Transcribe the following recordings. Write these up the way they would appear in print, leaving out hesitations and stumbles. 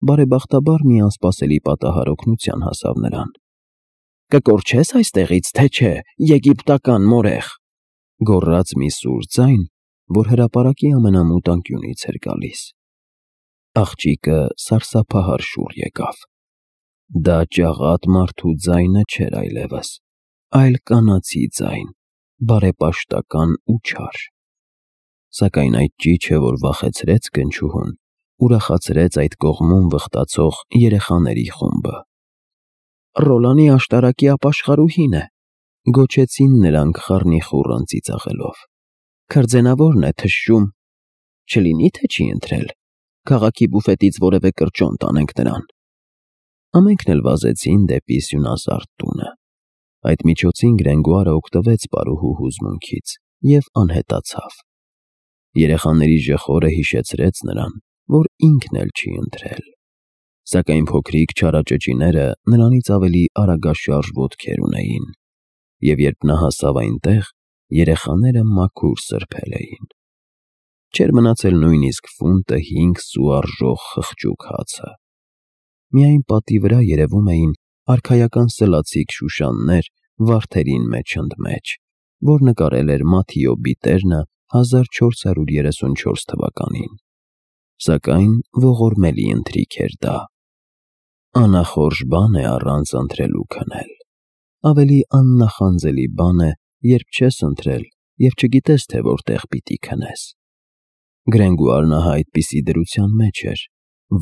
բարեբախտաբար մի անսպասելի պատահար օգնության հասավ նրան։ «Կկորչե՞ս այստեղից, թե չէ, եգիպտական մորեխ», գոռաց մի սուր ձայն, որ հրապարակի ամենամութ անկյունից էր գալիս։ Աղջիկը սարսափահար շուռ եկավ։ Դա ճաղատ մարդու ձայնը չէր այլևս, այլ կանացի ձայն, բարեպաշտական ու չար։ Սակայն այդ ճիչը, որ վախեցրեց գնչուհուն, ուրախացրեց այդ կողմում վխտացող երեխաների խումբը։ «Ռոլանի աշտարակի ապաշխարուհին է», գոչեցին նրանք խառնիխուռն ծիծաղելով։ «Քրձենավորն է թշշում, չլինի թե չի ընթրել, քաղաքի բուֆետից որևէ կրճոն տանենք նրան»։ Ամենքն էլ վազեցին դեպի սյունազարդ տունը։ Այդ միջոցին Գրենգոարը օգտվեց պարուհու հուզմունքից և անհետացավ։ Երեխաների ժխորը հիշեցրեց նրան, որ ինքն էլ չի ընթրել։ Սակայն փոքրիկ չարաճճիները նրանից ավելի արագաշարժ ոտքեր ունեին, և երբ նա հասավ այնտեղ, երեխաները մաքուր սրբել էին։ Չէր մնացել նույնիսկ ֆունտը 5 սու արժող խղճուկ հացը։ Միայն պատի վրա երևում էին արքայական սլացիկ շուշաններ վարդերին մեջ ընդմեջ, որ նկարել էր Մաթիո Բիտերնը 1434 թվականին։ Սակայն ողորմելի ընթրիք էր դա։ Անախորժ բան է առանց ընթրելու քնել։ Ավելի աննախանձելի բան է, երբ չես ընթրել և չգիտես, թե որտեղ պիտի քնես։ Գրենգոարն ահա այդպիսի դրության մեջ էր,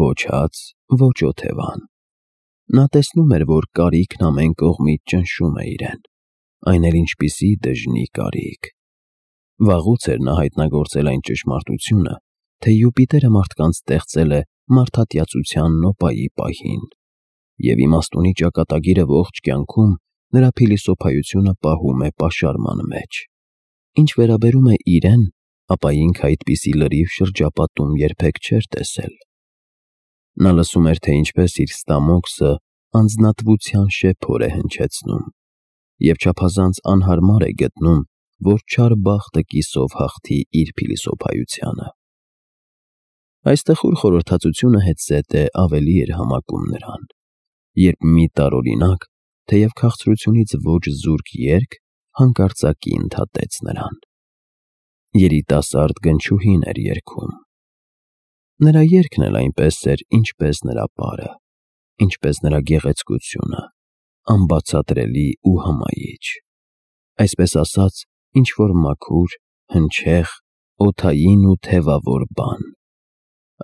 ոչ հաց, ոչ օթևան։ Նա տեսնում էր, որ կարիքն ամեն կողմից ճնշում է իրեն, այն էլ ինչպիսի դժնի կարիք։ Վաղուց էր նա հայտնագործել այն ճշմարտությունը, թե Յուպիտերը մարդկանց ստեղծել է մարդատյացության նոպայի պահին, և իմաստունի ճակատագիրը ողջ կյանքում նրա փիլիսոփայությունը պահում է պաշարման մեջ։ Ինչ վերաբերում է իրեն, ապա ինքը այդպիսի լրիվ շրջապատում երբեք չէր տեսել։ Նա լսում էր, թե ինչպես իր ստամոքսը անձնատվության շեփոր է հնչեցնում, և չափազանց անհարմար է գտնում, որ չար բախտը կիսով հաղթի իր փիլիսոփայությանը։ Այս տխուր խորհրդածությունը հետզհետե ավելի էր համակում նրան, երբ մի տարօրինակ, թեև քաղցրությունից ոչ զուրկ երգ հանկարծակի ընդհատեց նրան։ Երիտասարդ գնչուհին էր երգում։ Նրա երգն էլ այնպես էր, ինչպես նրա պարը, ինչպես նրա գեղեցկությունը, անբացատրելի ու հմայիչ։ Այսպես ասած, ինչ-որ մաքուր, հնչեղ, օդային ու թևավոր բան։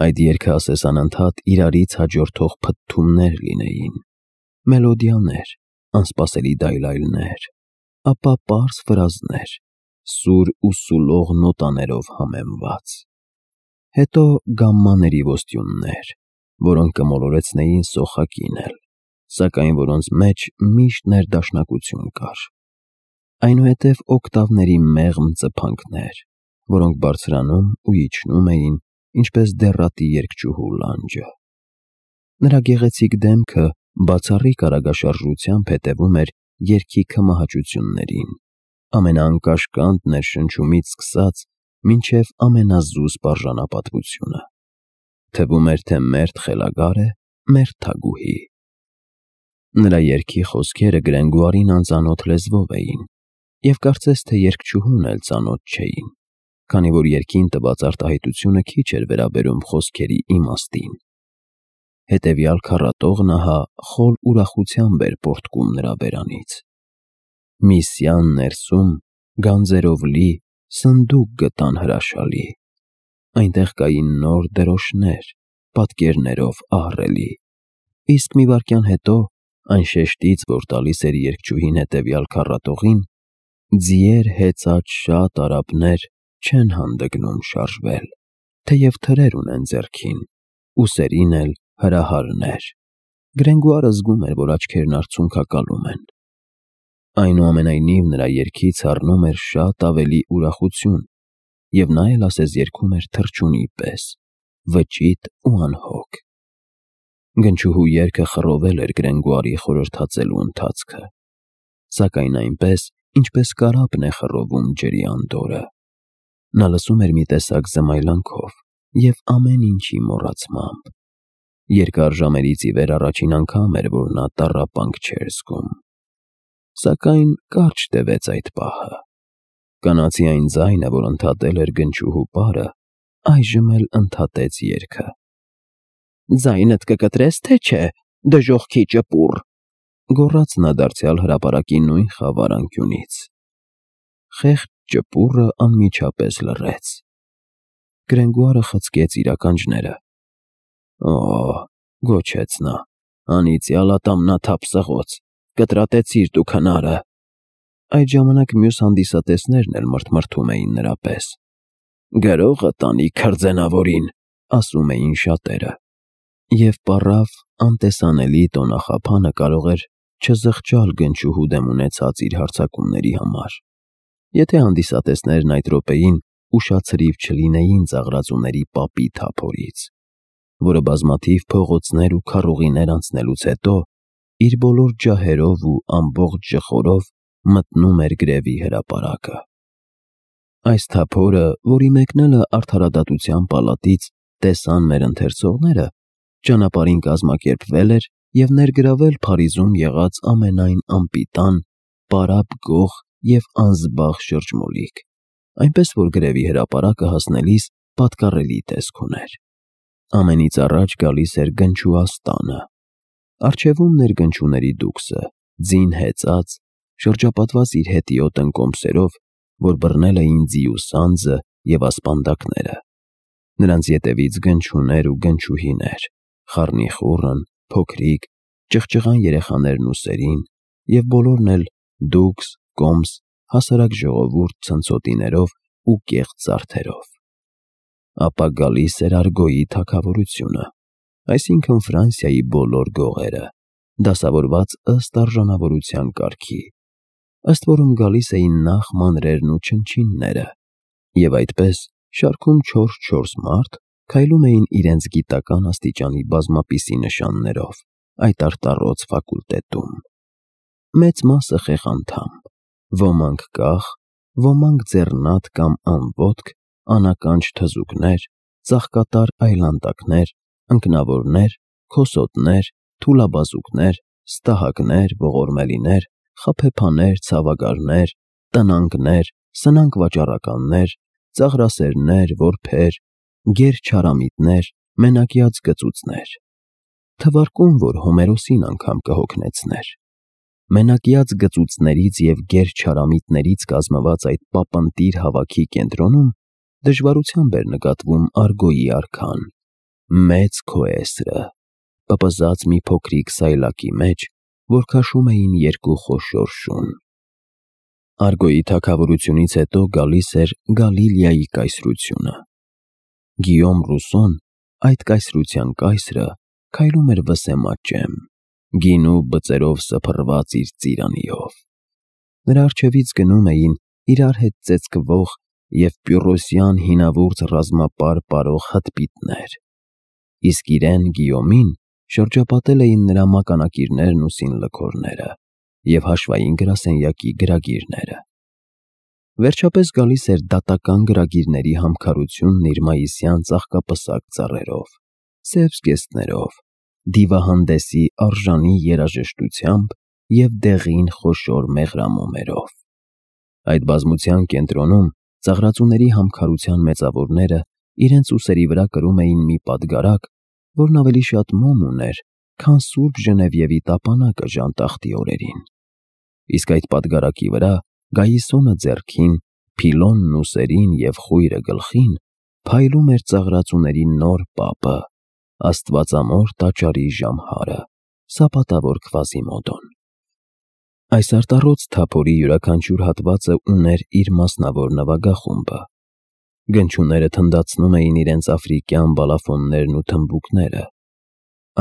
Այդ երգը ասես անընդհատ իրարից հաջորդող փթթումներ լինեին, մելոդիաներ, անսպասելի դայլայլներ, ապա պարզ ֆրազներ, սուր ու սուլող նոտաներով համեմված։ Հետո գամմաների ոստյուններ, որոնք կմոլորեցնեին սոխակին էլ, սակայն որոնց մեջ միշտ ներդաշնակություն կար։ Այնուհետև օկտավների մեղմ ծփանքներ, որոնք բարձրանում ու իջնում էին, ինչպես դեռատի երգչուհու լանջը։ Նրա գեղեցիկ դեմքը բացառիկ արագաշարժությամբ հետևում էր երգի քմահաճություններին, ամենաանկաշկանդ ներշնչումից սկսած մինչև ամենազուսպ արժանապատվությունը։ Թվում էր, թե մերթ խելագար է, մերթ թագուհի։ Նրա երգի խոսքերը Գրենգոարին անծանոթ լեզվով էին, և կարծես թե երգչուհուն էլ ծանոթ չէին, քանի որ երգին տված արտահայտությունը քիչ էր վերաբերում խոսքերի իմաստին։ Հետևյալ քառատողն ահա խոր ուրախությամբ էր պոռթկում նրա բերանից. «Միսյան ներսում, գանձերով լի, սնդուկ գտան հրաշալի, այնտեղ կային նոր դրոշներ, պատկերներով ահռելի»։ Իսկ մի վայրկյան հետո, այն շեշտից, որ տալիս էր երգչուհին հետևյալ քառատողին, ձիեր հեծած շատ արաբներ չեն հանդգնում շարժվել, թեև թրեր ունեն ձեռքին, ուսերին էլ հրահարներ։ Գրենգոարը զգում էր, որ աչքերն արցունքակալում են։ Այնուամենայնիվ նրա երգից հառնում էր շատ ավելի ուրախություն, և նա էլ ասես երգում էր թռչունի պես, վճիտ ու անհոգ։ Գնչուհու երգը խռովել էր Գրենգոարի խորհրդածելու ընթացքը, սակայն այնպես, ինչպես կարապն է խռովում ջրի անդորրը։ Նա լսում էր մի տեսակ զմայլանքով և ամեն ինչի մոռացմամբ։ Երկար ժամերից ի վեր առաջին անգամ էր, որ նա տառապանք չէր զգում։ Սակայն կարճ տևեց այդ պահը։ Կանացի այն ձայնը, որ ընդհատել էր գնչուհու պարը, այժմ էլ ընդհատեց երգը։ «Ձայնդ կկտրես, թե չէ, դժոխքի ճպուռ», գոռաց նա դարձյալ հրապարակի նույն խավար անկյունից։ Խեղճ ճպուռը անմիջապես լռեց։ Գրենգուարը խցկեց իր ականջները։ «Օ՜», գոչեց նա, «անիծյալ ատամնաթափ սղոց, կտրատեցիր դու քնարը»։ Այդ ժամանակ մյուս հանդիսատեսներն էլ մրթմրթում էին նրա պես։ «Գրողը տանի քրձենավորին», ասում էին շատերը։ Եվ պառավ անտեսանելի տոնախափանը կարող էր չզղջալ գնչուհու դեմ ունեցած իր հարձակումների համար, եթե հանդիսատեսներն այդ րոպեին ուշացրիվ չլինեին ծաղրածուների պապի թափորից, որը բազմաթիվ փողոցներ ու քառուղիներ անցնելուց հետո իր բոլոր ջահերով ու ամբողջ ժխորով մտնում էր գրևի հրապարակը։ Այս թափորը, որի մեկնելը արդարադատության պալատից տեսան մեր ընթերցողները, ճանապարհին կազմակերպվել էր և ներգրավել Փարիզում եղած ամենայն անպիտան, պարապ գող և անզբաղ շրջմոլիկ, այնպես որ գրևի հրապարակը հասնելիս պատկառելի տեսք ուներ։ Ամենից առաջ գալիս էր գնչուաստանը։ Առջևում ներգնչուների դուքսը, ձին հեծած, շրջապատված իր հետիոտ ընկոմսերով, որ բռնել էին ձիու սանձը և ասպանդակները։ Նրանց ետևից գնչուներ ու գնչուհիներ, խառնիխուռն, փոքրիկ, ճղճղան երեխաներն ու սերին, և բոլորն էլ դուքս, կոմս, հասարակ ժողովուրդ ցնցոտիներով ու կեղծ զարդերով։ Ապա գալիս էր Արգոյի թագավորությունը, այսինքն Ֆրանսիայի բոլոր գողերը, դասավորված ըստ արժանավորության կարգի, ըստ որում գալիս էին նախ մանրերն ու չնչինները, և այդպես շարքում 4-4 մարդ քայլում էին իրենց գիտական աստիճանի բազմապիսի նշաններով այդ արտառոց ֆակուլտետում։ Մեծ մասը խեղանդամ, ոմանք կախ, ոմանք ձեռնատ կամ անոտք, անականջ թզուկներ, ծաղկատար այլանդակներ, ընկնավորներ, քոսոտներ, թուլաբազուկներ, ստահակներ, ողորմելիներ, խաբեբաներ, ցավագարներ, տնանգներ, սնանկ վաճառականներ, ծաղրասերներ, որբեր, գերչարամիտներ, մենակյաց գծուծներ, թվարկում, որ Հոմերոսին անգամ կհոգնեցներ։ Մենակյաց գծուծներից և գերչարամիտներից կազմված այդ պապընտիր հավաքի կենտրոնում դժվարությամբ էր նկատվում Արգոյի արքան, մեծ քոեսրը, պպզած մի փոքրիկ սայլակի մեջ, որ քաշում էին երկու խոշոր շուն։ Արգոյի թագավորությունից հետո գալիս էր Գալիլեայի կայսրությունը։ Գիյոմ Ռուսոն, այդ կայսրության կայսրը, քայլում էր վսեմաճեմ, գինու բծերով սփռված իր ծիրանիով։ Նրա առջևից գնում էին իրար հետ ծեծկվող և պյուրոսյան հինավուրց ռազմապար պարող հտպիտներ, իսկ իրեն Գիյոմին շրջապատել էին նրա մականակիրներն ու սինլքորները և հաշվային գրասենյակի գրագիրները։ Վերջապես գալիս էր դատական գրագիրների համքարությունն իր մայիսյան ծաղկապսակ ծառերով, սև զգեստներով, դիվահանդեսի արժանի երաժշտությամբ և դեղին խոշոր մեղրամոմերով։ Այդ բազմության կենտրոնում ծաղրածուների համքարության մեծավորները իրենց ուսերի վրա կրում էին մի պատգարակ, որն ավելի շատ մոմ ուներ, քան Սուրբ Ժնևիևի տապանակը ժանտախտի օրերին։ Իսկ այդ պատգարակի վրա, գայիսոնը ձեռքին, փիլոնն ուսերին և խույրը գլխին, փայլում էր ծաղրածուների նոր պապը, աստվածամոր տաճարի ժամհարը, սապատավոր Քվազիմոդոն։ Այս արտառոց թափորի յուրաքանչյուր հատվածը ուներ իր մասնավոր նվագախումբը։ Գնչուները թնդացնում էին իրենց աֆրիկյան բալաֆոններն ու թմբուկները։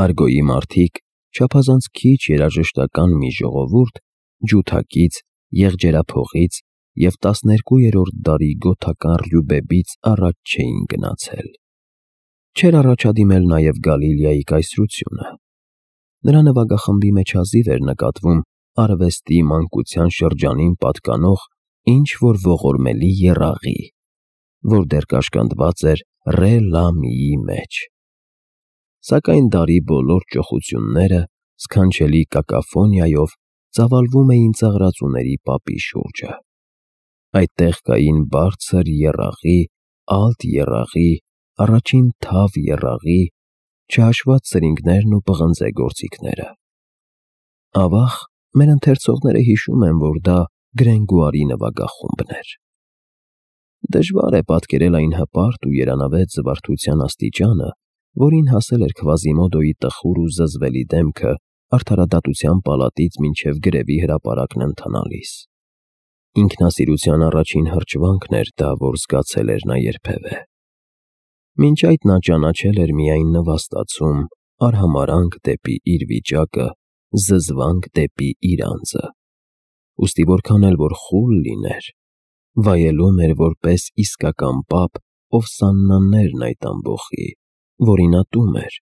Արգոյի մարդիկ, չափազանց քիչ երաժշտական մի ժողովուրդ, ջութակից, եղջերափողից և 12-րդ դարի գոթական Ռյուբեբից առաջ չէին գնացել։ Չէր առաջադիմել նաև Գալիլեայի կայսրությունը։ Նրա նվագախմբի մեջ հազիվ էր նկատվում արվեստի մանկության շրջանին պատկանող ինչ-որ ողորմելի եռաղի, որ դեռ կաշկանդված էր Ռե Լա Միի մեջ։ Սակայն դարի բոլոր ճոխությունները սքանչելի կակաֆոնիայով ծավալվում էին ծաղրածուների պապի շուրջը։ Այդտեղ կային բարձր եռաղի, alt եռաղի, առաջին թավ եռաղի, չհաշված սրինգներն ու պղնձե գործիքները։ Ավաղ, մեր ընթերցողները հիշում են, որ դա Գրենգուարի նվագախումբն էր։ Դժվար է պատկերել այն հպարտ ու երանավետ զվարթության աստիճանը, որին հասել էր Քվազիմոդոյի տխուր ու զզվելի դեմքը արդարադատության պալատից մինչև գրևի հրապարակն ընթանալիս։ Ինքնասիրության առաջին հրճվանքն էր դա, որ զգացել էր նա երբևէ։ Մինչ այդ նա ճանաչել էր միայն նվաստացում, արհամարանք դեպի իր վիճակը, զզվանք դեպի իր անձը։ Ուստի որքան էլ որ խուլ լիներ, վայելում էր որպես իսկական պապ, ով սաննաներն այդ ամբոխի, որին ատում էր,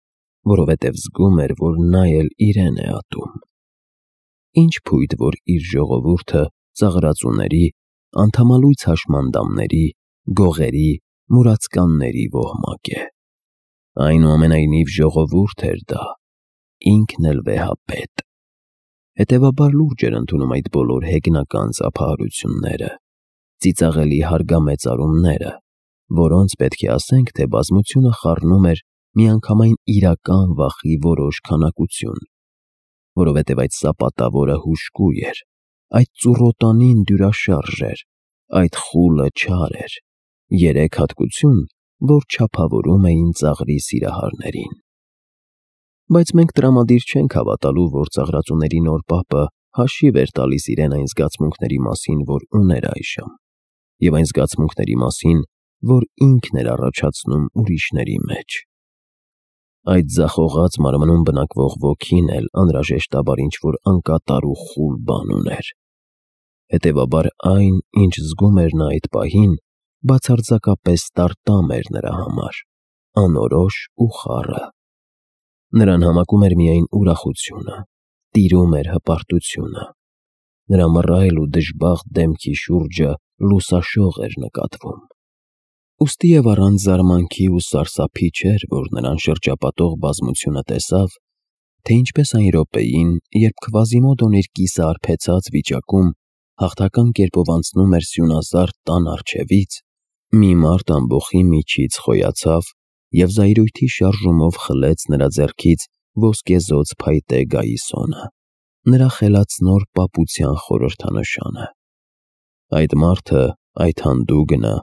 որովհետև զգում էր, որ նա էլ իրեն է ատում։ Ինչ փույթ, որ իր ժողովուրդը ծաղրածուների, անդամալույց հաշմանդամների, գողերի, մուրացկանների ոհմակ է։ Այնուամենայնիվ ժողովուրդ էր դա, ինքն էլ վեհապետ։ Հետևաբար լուրջ էր ընդունում այդ բոլոր հեգնական ծափահարությունները, ծիծաղելի հարգամեծարումները, որոնց պետք է ասենք, թե բազմությունը խառնում էր միանգամայն իրական վախի որոշ քանակություն, որովհետև այդ սապատավորը հուժկու էր, այդ ծուռոտանին դյուրաշարժ էր, այդ խուլը չար էր, երեք հատկություն, որ չափավորում էին ծաղրի սիրահարներին։ Բայց մենք տրամադիր չենք հավատալու, որ ծաղրածուների նոր պապը հաշիվ էր տալիս իրեն այն զգացմունքների մասին, որ ուներ այժմ, և այն զգացմունքների մասին, որ ինքն էր առաջացնում ուրիշների մեջ։ Այդ ձախողած մարմնում բնակվող ոգին էլ անհրաժեշտաբար ինչ-որ անկատար ու խուլ բան ուներ։ Հետևաբար այն, ինչ զգում էր նա այդ պահին, բացարձակապես տարտամ էր նրա համար, անորոշ ու խառը։ Նրան համակում էր միայն ուրախությունը, տիրում էր հպարտությունը։ Նրա մռայլ ու դժբախտ դեմքի շուրջը լուսաշող էր նկատվում։ Ուստի և առանց զարմանքի ու սարսափի չէր, որ նրան շրջապատող բազմությունը տեսավ, թե ինչպես այն րոպեին, երբ Քվազիմոդոն իր կիսաարբեցած վիճակում հաղթական կերպով անցնում էր սյունազարդ տան առջևից, մի մարդ ամբոխի միջից խոյացավ և զայրույթի շարժումով խլեց նրա ձեռքից ոսկեզօծ փայտե գայիսոնը, նրա խելացնոր պապության խորհրդանշանը։ Այդ մարդը, այդ հանդուգնը,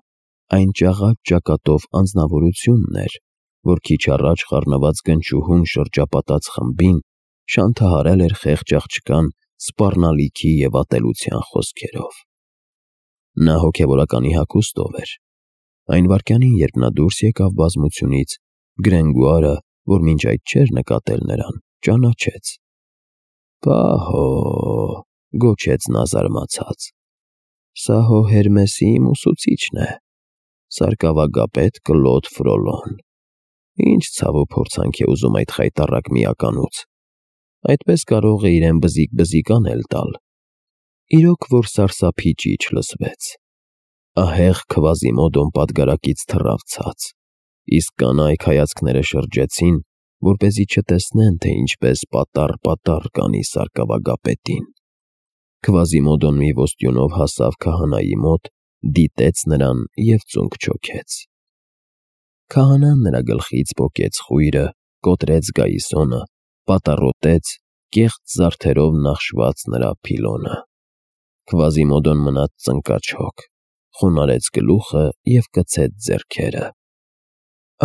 այն ճաղաճ ճակատով անձնավորությունն էր, որ քիչ առաջ խառնված գնչուհուն շրջապատած խմբին շանթահարել էր խեղճ աղջկան սպառնալիքի և ատելության խոսքերով։ Նա հոգևորականի հագուստով էր։ Այն վայրկյանին, երբ նա դուրս եկավ բազմությունից, Գրենգուարը, որ մինչ այդ չէր նկատել նրան, ճանաչեց։ «Պահո՜, գոչեց նա զարմացած, սա հո Հերմեսի իմ ուսուցիչն է, սարկավագապետ Կլոդ Ֆրոլոն։ Ինչ ցավ ու փորձանք է ուզում այդ խայտառակ միականուց, այդպես կարող է իրեն բզիկ-բզիկ անել տալ»։ Իրոք որ սարսափի ճիչ լսվեց։ Ահեղ Քվազիմոդոն պատգարակից թռավ ցած, իսկ կանայք հայացքները շրջեցին, որպեսզի չտեսնեն, թե ինչպես պատառ կանի սարկավագապետին։ Քվազիմոդոն մի ոստյունով հասավ քահանայի մոտ, դիտեց նրան և ծունկ չոքեց։ Քահանան նրա գլխից պոկեց խույրը, կոտրեց գայիսոնը, պատառոտեց, կեղծ զարդերով նախշված նրա փիլոնը։ Քվազիմոդոն մնաց ծնկաչոք, խոնարհեց գլուխը և կցեց ձեռքերը։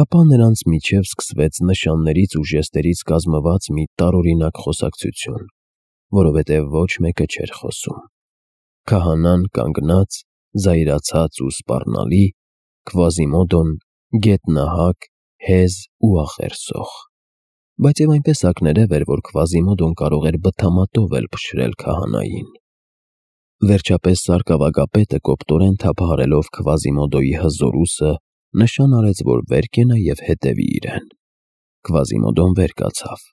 Ապա նրանց միջև սկսվեց նշաններից ու ժեստերից կազմված մի տարօրինակ խոսակցություն, որովհետև ոչ մեկը չէր խոսում։ Քահանան կանգնած, զայրացած ու սպառնալի, Քվազիմոդոն գետնահակ, հեզ ու ախերսող։ Բայց և այնպես ակներև էր, որ Քվազիմոդոն կարող էր բթամատով էլ փշրել քահանային։ Վերջապես սարկավագապետը կոպտորեն թափահարելով Քվազիմոդոյի հզոր ուսը, նշան արեց, որ վեր կենա և հետևի իրեն։ Քվազիմոդոն վեր կացավ։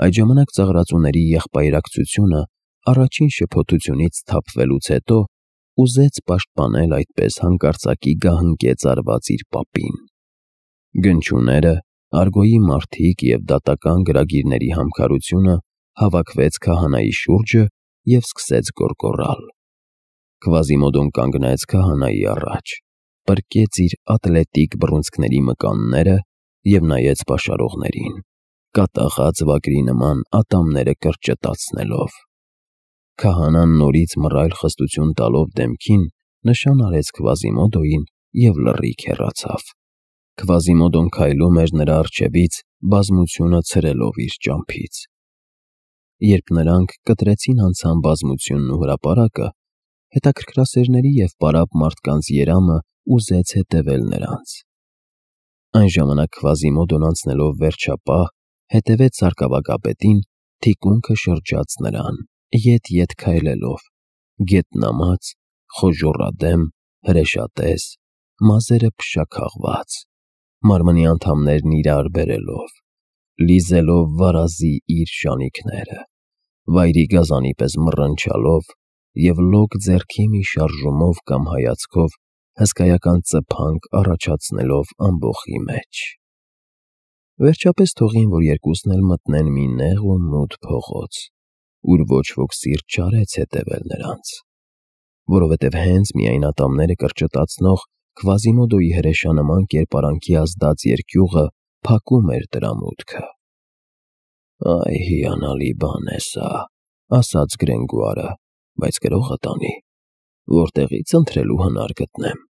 Այդ ժամանակ ծաղրածուների եղբայրակցությունը առաջին շփոթությունից սթափվելուց հետո ուզեց պաշտպանել այդպես հանկարծակի գահընկեց արված իր պապին։ Գնչուները, Արգոյի մարդիկ և դատական գրագիրների համքարությունը հավաքվեց քահանայի շուրջը և սկսեց գոռգոռալ։ Քվազիմոդոն կանգնեց քահանայի առաջ, պրկեց իր ատլետիկ բռունցքների մկանները և նայեց պաշարողներին, կատաղած վագրի նման ատամները կրճտացնելով։ Քահանան նորից մռայլ խստություն տալով դեմքին, նշան արեց Քվազիմոդոյին և լռիք հեռացավ։ Քվազիմոդոն քայլում էր նրա առջևից, բազմությունը ցրելով իր ճամփից։ Երբ նրանք կտրեցին անցան բազմությունն ու հրապարակը, հետաքրքրասերների և պարապ մարդկանց երամը ուզեց հետևել նրանց։ Այն ժամանակ Քվազիմոդոն անցնելով վերջապահ, հետևեց սարկավագապետին, թիկունքը շրջաց նրան, ետ-ետ քայլելով, գետնամած, խոժոռադեմ, հրեշատես, մազերը փշաքաղված, մարմնի անդամներն իրար բերելով, լիզելով վարազի իր շանիքները, վայրի գազանի պես մռնչալով և լոկ ձեռքի մի շարժումով կամ հայացքով հսկայական ծփանք առաջացնելով ամբոխի մեջ։ Վերջապես թողին, որ երկուսն էլ մտնեն մի նեղ ու մութ փողոց, ուր ոչ ոք սիրտ չարեց հետևել նրանց, որովհետև հենց միայն ատամները կրճտացնող Քվազիմոդոյի հրեշանման կերպարանքի ազդած երկյուղը փակում էր դրա մուտքը։ «Այ հիանալի բան է սա», ասաց Գրենգուարը, «բայց գրողը տանի, որտեղի՞ց ընտրելու հնար գտնեմ»։